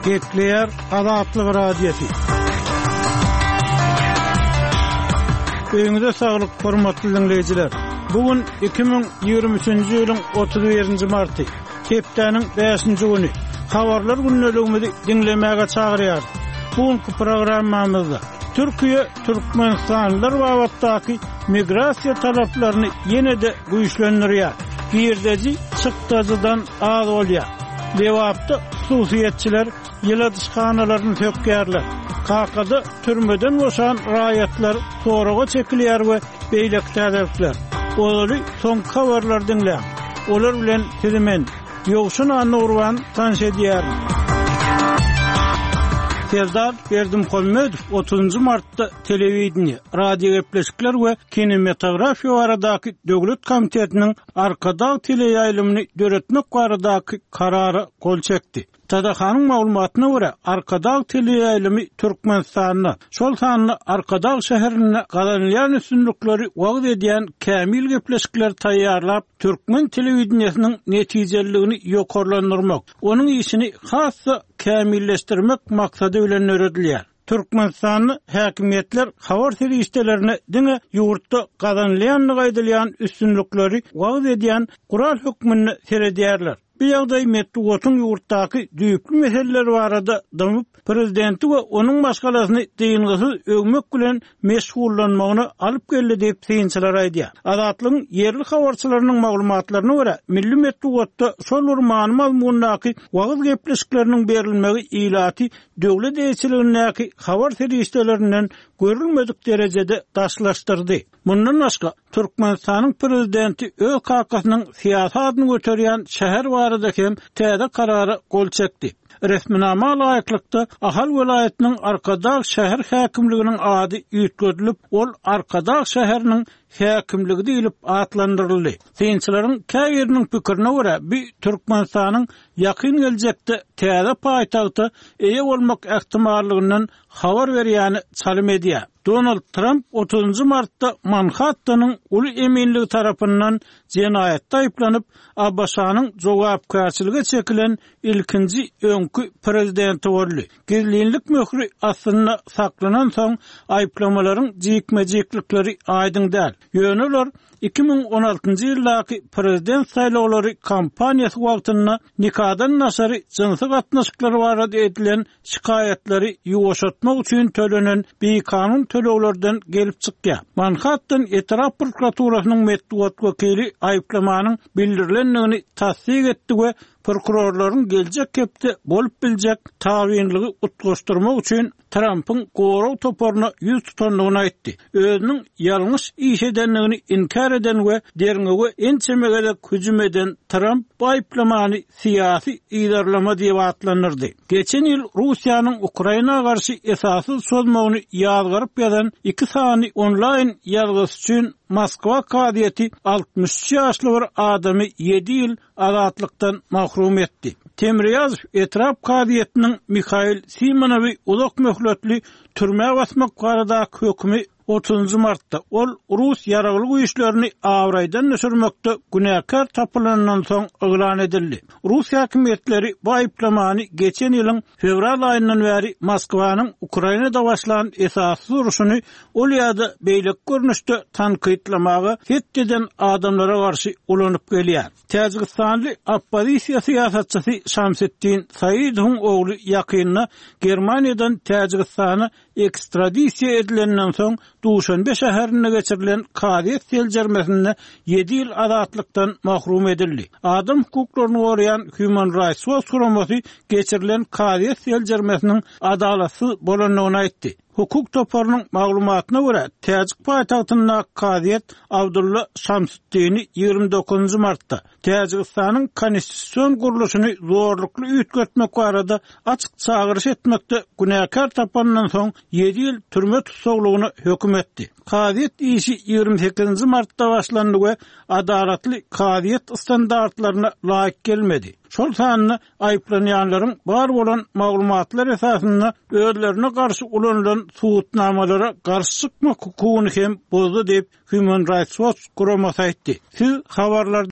Gepleýär Azatlyk Radiosy. Öýüňize saglyk, hormatly diňleýjiler! Bu gün 2023-nji ýylyň 31-nji marty, hepdäniň bäşinji güni. Habarlar gündeligimizi diňlemäge çagyrýarys. Bu günki programmamyzda Türkiýe türkmenistanlylar babatdaky migrasiýa talaplaryny ýene-de güýçlendirýär. Girdeji çykdajydan az bolýar. Lebapda hususyýetçiler ýyladyşhanalaryny sökýärler. Kakada türmeden boşan raýatlar soraga çekilýär we beýleki täzelikler. Ozaly soňky habarlary diňläň. Olar bilen sizi men, Ýowşan Annagurban tanyş edýärin. Serdar Berdimuhamedow otuzynjy martda Telewideniýe, radiogepleşikler we kinematografiýa baradaky döwlet komitetiniň Arkadag teleýaýlymyny döretmek baradaky Karara gol çekdi. TDH-nyň maglumatyna görä, Arkadag teleýaýlymy Türkmenistanda, şol sanda Arkadag şäherinde gazanylýan üstünlikleri wagyz edýän kämil gepleşikleri taýýarlap, türkmen telewideniýesiniň netijeliligini ýokarlandyrmak, onuň işini has-da kämilleşdirmek maksady bilen döredilýär. Türkmenistanda häkimiýetler habar serişdelerine diňe ýurtda gazanylýandygy aýdylýan üstünlikleri wagyz edýän gural hökmünde seredýärler. Bu ýagdaý metbugatyň ýurtdaky düýpli meseleler barada dymyp, prezidenti we onuň maşgalasyny dyngysyz öwmek bilen meşgullanmagyna alyp geldi diýip, synçylar aýdýar. Azatlygyň ýerli habarçylarynyň maglumatlaryna görä, milli metbugatda şol bir many-mazmundaky wagyz gepleşikleriniň berilmegi ilaty döwlet eýeçiligindäki habar serişdelerinden görülmedik derejede daşlaşdyrdy. Mundan başga, Türkmenistanyň prezidenti öz kakasynyň syýasy adyny göterýän şäher barada hem täze karara gol çekdi. Resminama laýyklykda, Ahal welaýatynyň Arkadag şäher häkimliginiň ady üýtgedilip, ol Arkadag şäheriniň häkimligi diýlip atlandyryldy. Synçylaryň käbiriniň pikirine görä, bu Türkmenistanyň ýakyn geljekde täze paýtagta eýe bolmak ähtimallygyndan habar berýäne çalym edýär. Donald Tramp otuzynjy martda Manhattanyň uly eminligi tarapyndan jenaýatda aýyplanyp, ABŞ-nyň jogapkärçilige çekilen ilkinji öňki prezidenti boldy. Gizlinlik möhri astynda saklanansoň, aýyplamalaryň jikme-jiklikleri aýdyň däl. Ýöne olar 2016-njy ýyldaky prezident saýlawlary kampaniýasy wagtynda nikadan daşary jynsy gatnaşyklar barada edilen şikaýatlary ýuwaşatmak üçin tölenen bikanun töleglerden gelip çykýar. Manhattan etrap prokuraturasynyň metbugat wekili aýyplamanyň bildirilendigini tassyk etdi we prokurorlaryň geljek hepde bolup biljek tabynlygy utgaşdyrmak üçin Trampyň gorag toparyna ýüz tutandygyny aýtdy. Özüniň ýalňyş iş edendigini inkär eden we derňewe ençeme gezek hüjüm eden Tramp bu aýyplamany syýasy yzarlama diýip atlandyrdy. Geçen ýyl Russiýanyň Ukraina garşy esassyz çozmagyny ýazgaryp ýazan iki sany onlaýn ýazgysy üçin Moskwa kazyýeti 63 ýaşly bir adamy ýedi ýyl azatlykdan mahrum etdi. Temirýazow etrap kazyýetiniň Mihail Simonowy uzak möhletli türmä basmak baradaky hökümi otuzynjy martda ol rus ýaragly güýçlerini abraýdan düşürmekde günäkär tapylanyndan soň yglan edildi. Rus häkimiýetleri bu aýyplamany geçen ýylyň fewral aýyndan bäri Moskwanyň Ukrainada başlan esassyz urşuny ol ýa-da beýleki görnüşde tankytlamaga het eden adamlara garşy ulanyp gelýär. Täjigistanly oppozisiýa syýasatçysy Şamsetdin Saidowyň ogly ýakynda Germaniýadan Täjigistana ekstradisiýa edilenden soň Duşanbe şäherinde geçirilen kazyýet seljermesinde ýedi ýyl azatlykdan mahrum edildi. Adam hukuklaryny goraýan Human Rights Watch guramasy geçirilen kazyýet seljermesiniň adalatsyz bolandygyny aýtdy. Hukuk toparynyň maglumatyna görä, täjik paýtagtyndaky kazyýet Abdulla Şamsutdini 29 martda Täjigistanyň konstitusion gurluşyny zorlukly üýtgetmek barada açyk çagyryş etmekde günäkär tapanyndan soň ýedi ýyl türme tussaglygyna höküm etdi. Kazyýet işi 28 martda başlandy we adalatly kazyýet standartlaryna laýyk gelmedi, şol sanda aýyplanýanlaryň bar bolan maglumatlar esasynda özlerine garşy ulanylan subutnamalara garşy çykmak hukugyny hem bozdy diýip, Human Rights Watch guramasy aýtdy. Siz habarlarda.